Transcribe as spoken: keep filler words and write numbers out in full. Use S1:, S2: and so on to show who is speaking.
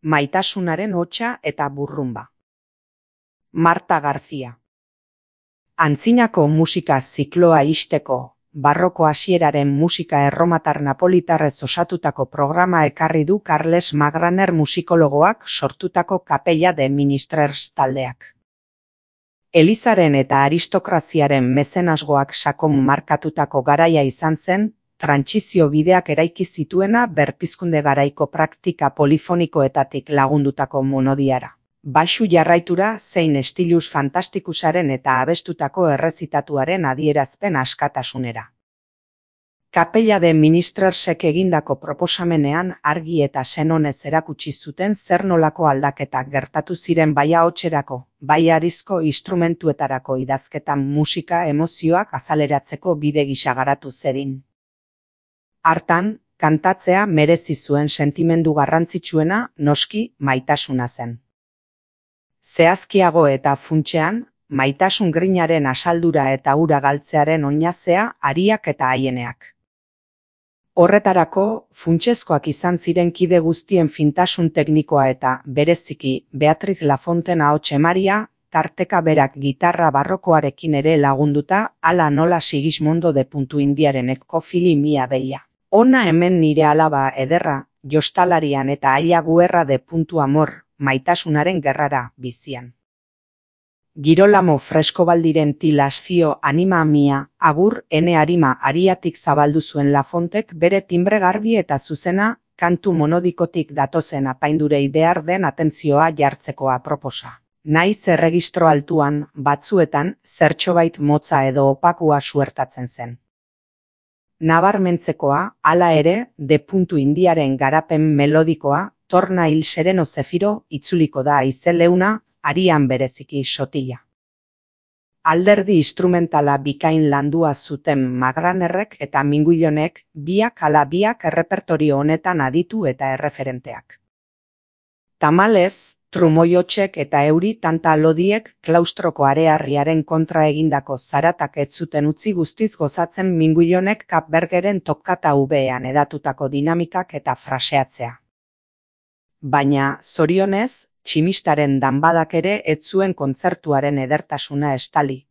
S1: Maitasunaren hotsa eta burrumba. Marta García. Antzinako musika zikloa ixteko, barroko hasieraren musika erromatar napolitarrez osatutako programa ekarri du Carles Magraner musikologoak sortutako Capella de Ministrers taldeak. Elizaren eta aristokraziaren mezenasgoak sakon markatutako garaia izan zen, trantsizio bideak eraiki zituena berpizkunde garaiko praktika polifonikoetatik lagundutako monodiara, baxu jarraitura zein estilus fantastikusaren eta abestutako errezitatuaren adierazpen askatasunera. Capella de Ministrersek egindako proposamenean argi eta senonez erakutsi zuten zer nolako aldaketak gertatu ziren bai ahotserako, bai harizko instrumentuetarako idazketan musika emozioak azaleratzeko bide gisa garatu zedin. Hartan, kantatzea merezi zuen sentimendu garrantzitsuena noski maitasuna zen. Zehazkiago eta funtsean, maitasun grinaren asaldura eta ura galtzearen oinazea hariak eta haieneak. Horretarako, funtsezkoak izan ziren kide guztien fintasun teknikoa eta, bereziki, Beatriz Lafonten ahots emaria, tarteka berak gitarra barrokoarekin ere lagunduta, hala nola Sigismondo de puntu indiaren ekofili mia beia. Ona hemen nire alaba ederra, jostalarian eta aila guerra de puntu amor, maitasunaren gerrara, bizian. Girolamo freskobaldiren tilazio anima mia, agur ene arima ariatik zabaldu zuen Lafontek bere timbre garbi eta zuzena, kantu monodikotik datozen apaindurei behar den atentzioa jartzeko aproposa. Naiz erregistro altuan, batzuetan, zertxobait motza edo opakua suertatzen zen. Nabarmentzekoa, hala ere, de puntu indiaren garapen melodikoa, torna hil sereno zefiro, itzuliko da aizeleuna, arian bereziki sotila. Alderdi instrumentala bikain landua zuten Magranerrek eta Minguillonek biak ala biak errepertorio honetan aditu eta erreferenteak. Tamalez, trumoiotsek eta euri tanta lodiek klaustroko arearriaren kontra egindako zaratak ez zuten utzi guztiz gozatzen Minguillonek Kapbergeren tokkata ubean edatutako dinamikak eta fraseatzea. Baina, zorionez, tximistaren danbadak ere ez zuen kontzertuaren edertasuna estali,